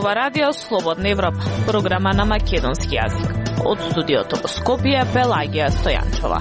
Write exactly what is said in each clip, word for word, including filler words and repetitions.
ова радио Слободна Европа, програма на македонски јазик. Од студиото во Скопје, Пелагија Стојанчова.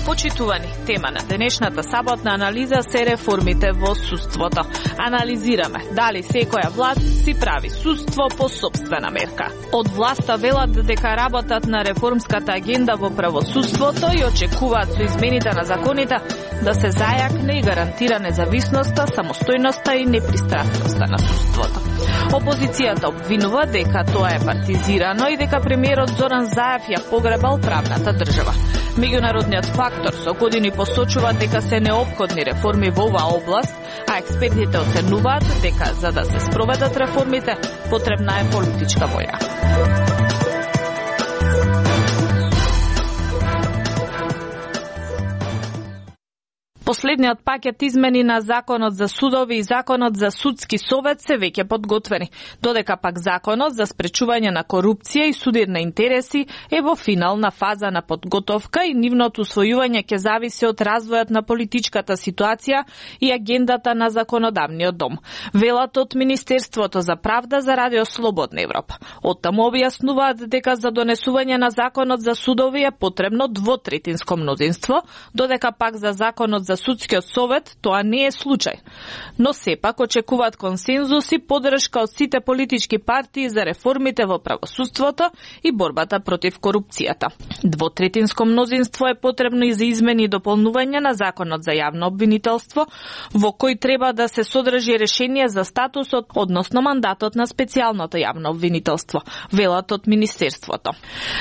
Почитувани, тема на денешната саботна анализа се реформите во судството. Анализираме дали секоја власт си прави судство по сопствена мерка. Од власта велат дека работат на реформската агенда во правосудството и очекуваат со измените на законите да се зајакне и гарантира независноста, самостојноста и непристрасноста на судството. Опозицијата обвинува дека тоа е партизирано и дека премиерот Зоран Заев ја погребал правната држава. Меѓународниот фактор со години посочува дека се неопходни реформи во оваа област, а експертите оценуваат дека за да се спроведат реформите потребна е политичка воља. Последниот пакет измени на Законот за судови и Законот за судски совет се веќе подготвени, додека пак Законот за спречување на корупција и судир на интереси е во финална фаза на подготовка и нивното усвојување ќе зависи од развојот на политичката ситуација и агендата на законодавниот дом. Велат од Министерството за правда за радио Слободна Европа. Оттаму објаснуваат дека за донесување на Законот за судови е потребно двотретинско мнозинство, додека пак за Законот за судскиот совет тоа не е случај. Но сепак очекуваат консензус и поддршка од сите политички партии за реформите во правосудството и борбата против корупцијата. Двотретинско мнозинство е потребно и за измени и дополнување на Законот за јавно обвинителство, во кој треба да се содржи решение за статусот, односно мандатот на специјалното јавно обвинителство, велат од Министерството.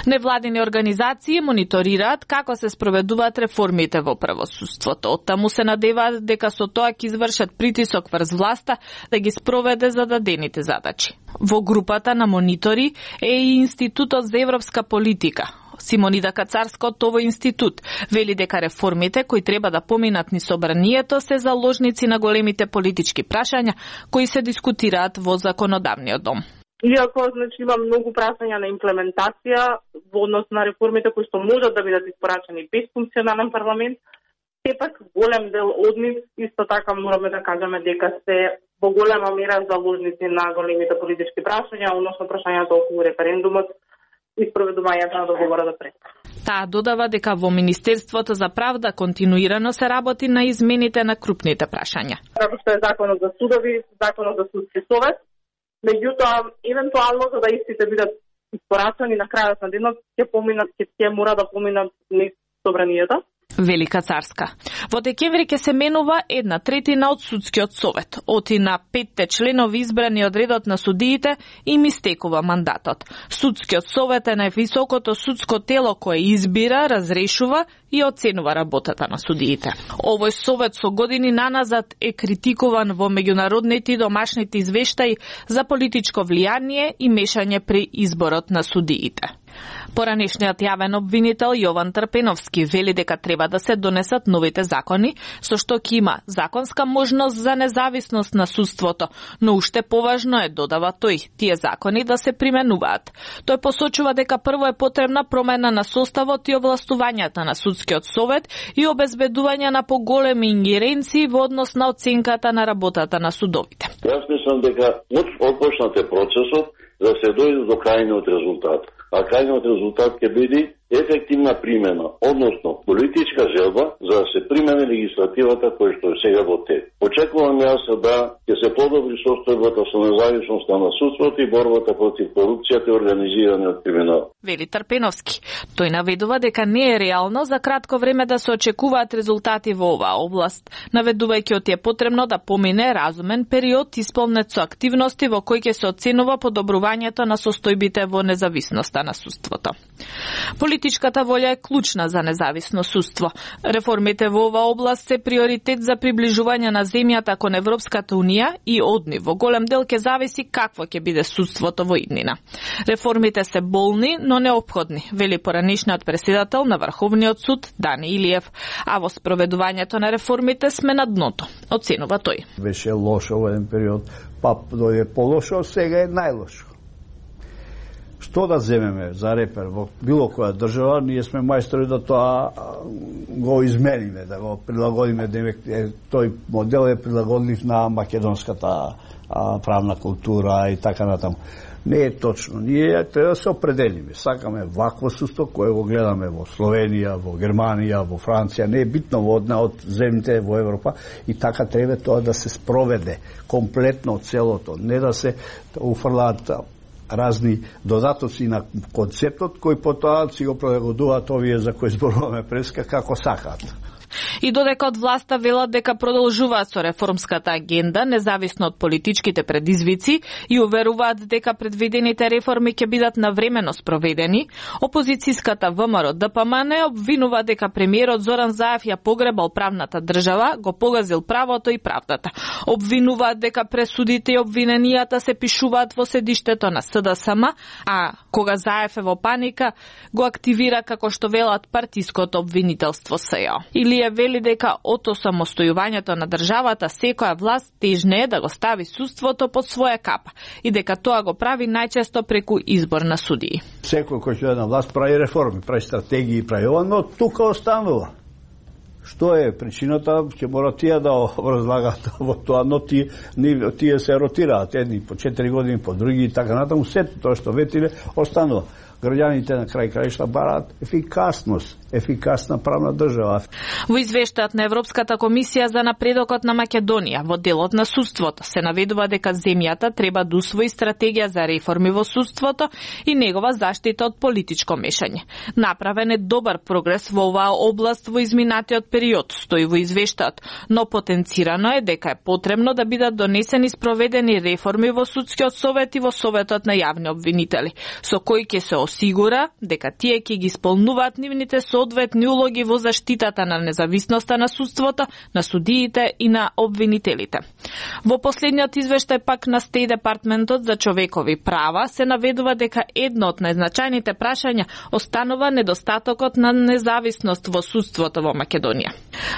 Невладини организации мониторираат како се спроведуваат реформите во правосудството. Таму се надеваат дека со тоа ќе извршат притисок врз власта да ги спроведе зададените задачи. Во групата на монитори е и Институтот за европска политика. Симонида Кацарска од овој институт вели дека реформите кои треба да поминат низ собранието се заложници на големите политички прашања кои се дискутираат во законодавниот дом. Иако, значи, има многу прашања на имплементација во однос на реформите кои што можат да бидат испорачени без функционален парламент, сепак голем дел од нив исто така мораме да кажеме дека се во голема мера заложници на големите политички прашања, односно прашањата околу референдумот и спроведувањето на договорот за пред. Таа додава дека во Министерството за правда континуирано се работи на измените на крупните прашања. Како што е Законот за судови, Законот за судски совет, меѓутоа евентуално за да истите бидат испорачени на крајот на денот ќе поминат ќе мора да поминат низ собранието. Велика Царска. Во декември ќе се менува една третина од судскиот совет. Оти на петте членови избрани од редот на судиите им истекува мандатот. Судскиот совет е највисокото судско тело кое избира, разрешува и оценува работата на судиите. Овој совет со години наназад е критикуван во меѓународните и домашните извештаи за политичко влијание и мешање при изборот на судиите. Поранешниот јавен обвинител Јован Трпеновски вели дека треба да се донесат новите закони, со што ќе има законска можност за независност на судството, но уште поважно е, додава тој, тие закони да се применуваат. Тој посочува дека прво е потребна промена на составот и овластувањата на судскиот совет и обезбедување на поголеми ингеренции во однос на оценката на работата на судовите. Јас мислам дека отпочнате процесот да се дојде до крајниот резултат. А крајниот резултат ќе биде ефективна примена, односно политичка желба за да се примени легислативата која што е сега во тек. Очекувам јас да ќе се подобри состојбата со независноста на судството и борбата против корупцијата и организираниот криминал. Вели Трпеновски. Тој наведува дека не е реално за кратко време да се очекуваат резултати во оваа област, наведувајќи од е потребно да помине разумен период исполнет со активности во кои ќе се оценува подобрувањето на состојбите во независноста на судството. Политичката волја е клучна за независно судство. Реформите во оваа област се приоритет за приближување на земјата кон Европската унија и од нив во голем дел ќе зависи какво ќе биде судството во иднина. Реформите се болни, но неопходни, вели поранешниот преседател на Врховниот суд Дани Илиев, а во спроведувањето на реформите сме на дното, оценува тој. Беше лошо во еден период, па дојде полошо, сега е најлошо. Што да земеме за репер во било која држава, ние сме мајстори да тоа го измениме, да го прилагодиме, демек тој модел е прилагодлив на македонската правна култура и така натаму. Не е точно. Ние треба да се определиме. Сакаме вакво судство кое го гледаме во Словенија, во Германија, во Франција, не е битно во одна од земјите во Европа и така треба тоа да се спроведе комплетно целото, не да се уфрлаат разни додатоци на концептот кој потоа си го прилагодуваат овие за кои зборуваме преска како сакаат. И додека од власта велат дека продолжуваат со реформската агенда, независно од политичките предизвици, и уверуваат дека предвидените реформи ќе бидат навремено спроведени, опозицијската ВМРО Д П М Н обвинува дека премиерот Зоран Заев ја погребал правната држава, го погазил правото и правдата. Обвинуваат дека пресудите и обвиненијата се пишуваат во седиштето на С Д С М, а кога Заев е во паника, го активира како што велат партиското обвинителство С Ј О. Или вели дека од самостојувањето на државата секоја власт тежне е да го стави судството под своја капа и дека тоа го прави најчесто преку избор на судии. Секој кој ќе на власт прави реформи, прави стратегии, прави ова, но тука останува. Што е причината, ќе мора тие да разлагат во тоа, но тие, тие се ротираат, едни по четири години, по други и така натаму, сето тоа што ветиле останува. Граѓаните на крај краишта бараат ефикасност, ефикасна правна држава. Во извештајот на Европската комисија за напредокот на Македонија во делот на судството се наведува дека земјата треба да усвои стратегија за реформи во судството и негова заштита од политичко мешање. Направен е добар прогрес во оваа област во изминатиот период, стои во извештајот, но потенцирано е дека е потребно да бидат донесени спроведени реформи во судскиот совет и во советот на јавни обвинители, со кои ќе се осигура дека тие ќе ги исполнуваат нивните соодветни улоги во заштитата на независноста на судството, на судиите и на обвинителите. Во последниот извештај пак на Стеј Департментот за човекови права се наведува дека едно од најзначајните прашања останува недостатокот на независност во судството во Македонија.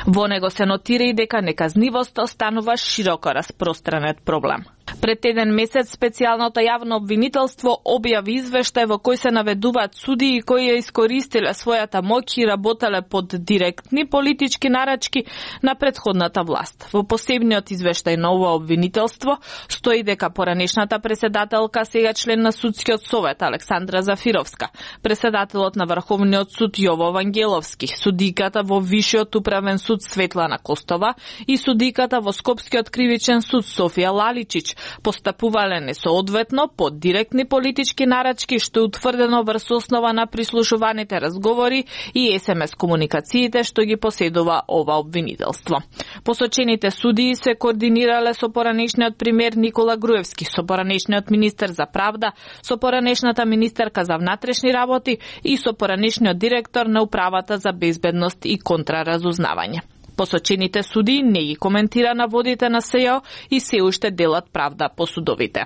Во него се нотира и дека неказнивост останува широко распространет проблем. Пред еден месец специјалното јавно обвинителство објави извештај во кој се наведуваат судии кои ја искористиле својата моќ и работеле под директни политички нарачки на претходната власт. Во посебниот извештај на ова обвинителство стои дека поранешната преседателка, сега член на судскиот совет Александра Зафировска, преседателот на Врховниот суд Јово Вангеловски, судиката во Вишиот управен суд Светлана Костова и судиката во Скопскиот кривичен суд Софија Лаличич постапувале несоодветно под директни политички нарачки, што е утврдено врз основа на прислушуваните разговори и ес ем ес комуникациите што ги поседува ова обвинителство. Посочените судии се координирале со поранешниот премиер Никола Груевски, со поранешниот министер за правда, со поранешната министерка за внатрешни работи и со поранешниот директор на управата за безбедност и контраразузнавање. Посочените суди не ги коментира наводите на С Ј О и се уште делат правда по судовите.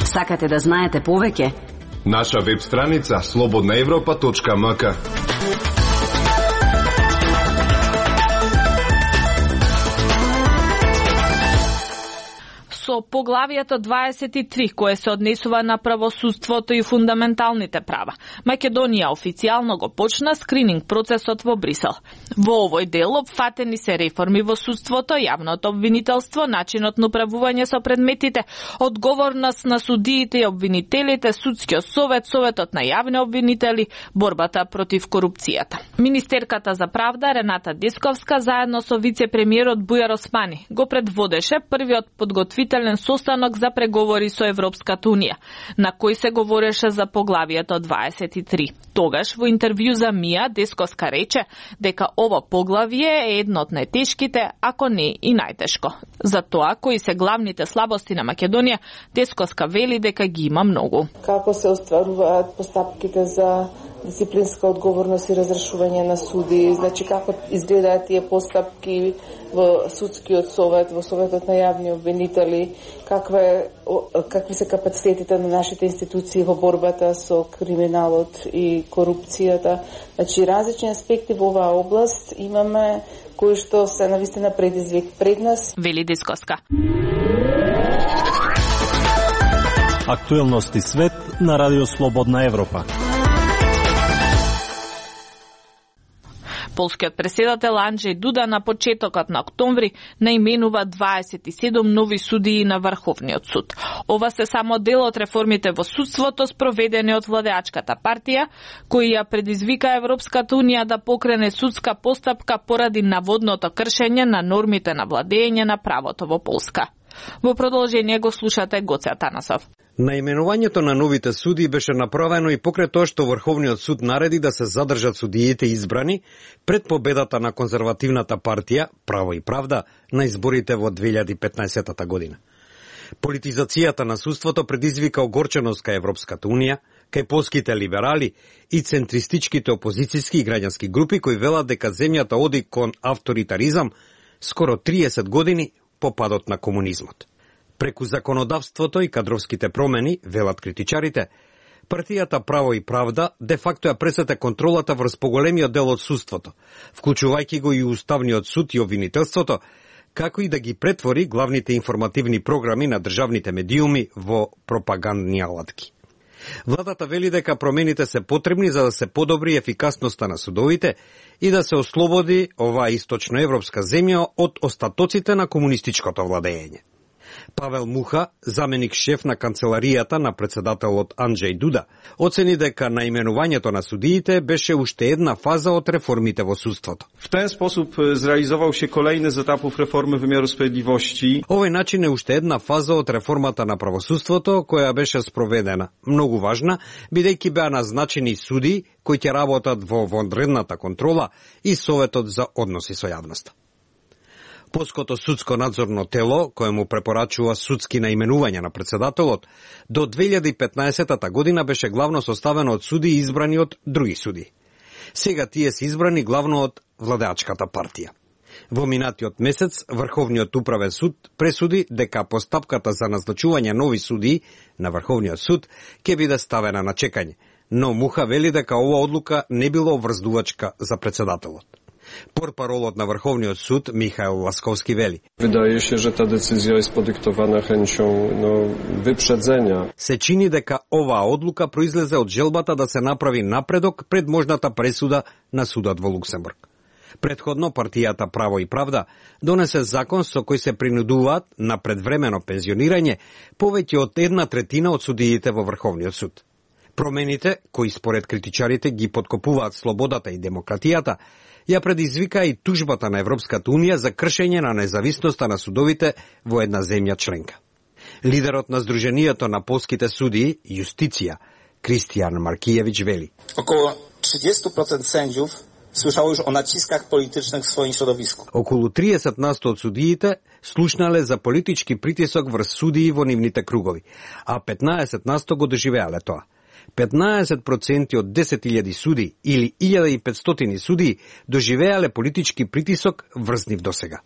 Сакате да знаете повеќе? Наша веб страница слободна европа точка ем ка. Со поглавието дваесет и три, кое се однесува на правосудството и фундаменталните права, Македонија официјално го почна скрининг процесот во Брисел. Во овој дел опфатени се реформи во судството, јавното обвинителство, начинот на управување со предметите, одговорност на судиите и обвинителите, судскиот совет, советот на јавни обвинители, борбата против корупцијата. Министерката за правда Рената Десковска заедно со вице-премиерот Бујар Османи го предводеше првиот подготвител состанок за преговори со Европската Унија, на кој се говореше за поглавието дваесет и три. Тогаш во интервју за Мија Десковска рече дека ова поглавие е едно од најтешките, ако не и најтешко. За тоа кои се главните слабости на Македонија, Десковска вели дека ги има многу. Како се остваруваат постапките за дисциплинска одговорност и разрешување на суди, значи како изгледаат тие постапки во судскиот совет, во советот на јавни обвинители, каква какви се капацитетите на нашите институции во борбата со криминалот и корупцијата. Значи различни аспекти во оваа област имаме кои што се навистина предизвик пред нас. Вели Десковска. Актуелности свет на Радио Слободна Европа. Полскиот преседател Анджеј Дуда на почетокот на октомври наименува дваесет и седум нови судии на Врховниот суд. Ова се само дел од реформите во судството спроведени од владеачката партија, кои ја предизвика Европската унија да покрене судска постапка поради наводното кршење на нормите на владење на правото во Полска. Во продолжение го слушате Гоце Атанасов. Наименувањето на новите суди беше направено и покрај тоа што Врховниот суд нареди да се задржат судиите избрани пред победата на конзервативната партија Право и правда на изборите во две илјади и петнаесета година. Политизацијата на судството предизвика огорченост кај Европската унија, кај полските либерали и центристичките опозицијски и граѓански групи кои велат дека земјата оди кон авторитаризам скоро триесет години по падот на комунизмот. Преку законодавството и кадровските промени, велат критичарите, партијата Право и правда де факто ја пресете контролата врз поголемиот дел од судството, вклучувајќи го и Уставниот суд и обвинителството, како и да ги претвори главните информативни програми на државните медиуми во пропагандни алатки. Владата вели дека промените се потребни за да се подобри ефикасноста на судовите и да се ослободи оваа источноевропска земја од остатоците на комунистичкото владење. Павел Муха, заменик шеф на канцеларијата на председателот Анджеј Дуда, оцени дека наименувањето на судиите беше уште една фаза од реформите во судството. W ten sposób zrealizował się kolejny z etapów reformy wymiaru sprawiedliwości. Овој начин е уште една фаза од реформата на правосудството која беше спроведена. Многу важна, бидејќи беа назначени суди кои ќе работат во вонредната контрола и Советот за односи со јавноста. Полското судско надзорно тело, кое му препорачува судски наименувања на председателот, до две илјади и петнаесета година беше главно составено од суди избрани од други суди. Сега тие се избрани главно од владеачката партија. Во минатиот месец, Врховниот управен суд пресуди дека постапката за назначување нови суди на Врховниот суд ќе биде ставена на чекање, но Муха вели дека ова одлука не било обврздувачка за председателот. Порпаролот на Врховниот суд Михаил Ласковски вели: Wydaje się, że ta decyzja jest podyktowana chęcią no, wyprzedzenia. Се чини дека оваа одлука произлезе од желбата да се направи напредок пред можната пресуда на судот во Луксембург. Предходно партијата Право и правда донесе закон со кој се принудуваат на предвремено пензионирање повеќе од една третина од судиите во Врховниот суд. Промените, кои според критичарите ги подкопуваат слободата и демократијата, ја предизвика и тужбата на Европската унија за кршење на независноста на судовите во една земја членка. Лидерот на Сдруженијето на полските судии, Јустиција, Кристијан Маркијевич вели: Околу тридесет проценти sędziów słyszało już o naciskach politycznych w swoim środowisku. Околу триесет насто од судиите слушнале за политички притисок врз судии во нивните кругови, а петнаесет насто го доживеале тоа. петнаесет проценти од десет илјади суди или илјада и петстотини суди доживеале политички притисок врз нив досега.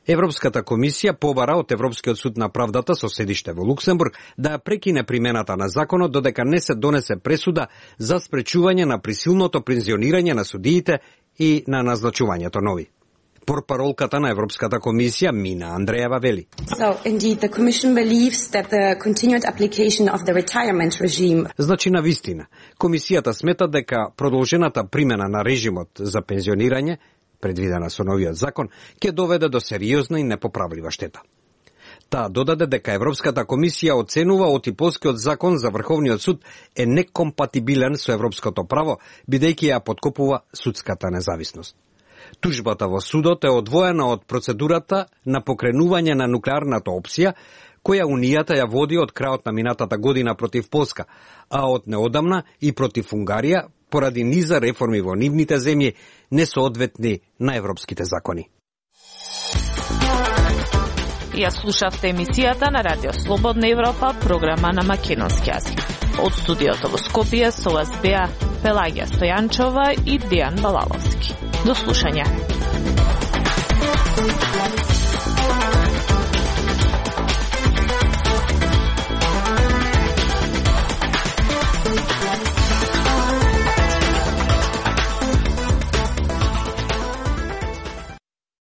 Европската комисија побара од Европскиот суд на правдата со седиште во Луксембург да ја прекине примената на законот додека не се донесе пресуда за спречување на присилното пензионирање на судиите и на назначувањето нови. Порпаролката на Европската комисија Мина Андреева вели: So indeed the commission believes that the continued application of the retirement regime. Значи на вистина, комисијата смета дека продолжената примена на режимот за пензионирање, предвидена со новиот закон, ќе доведе до сериозна и непоправлива штета. Таа додаде дека Европската комисија оценува оти полскиот закон за Врховниот суд е некомпатибилен со европското право, бидејќи ја подкопува судската независност. Тужбата во судот е одвоена од процедурата на покренување на нуклеарната опција, која Унијата ја води од крајот на минатата година против Полска, а од неодамна и против Унгарија, поради низа реформи во нивните земји несоодветни на европските закони. Ја слушавте емисијата на Радио Слободна Европа, програма на македонски јазик. Од студиото во Скопје со вас беа Пелагија Стојанчова и Дејан Балаловски. До слушање.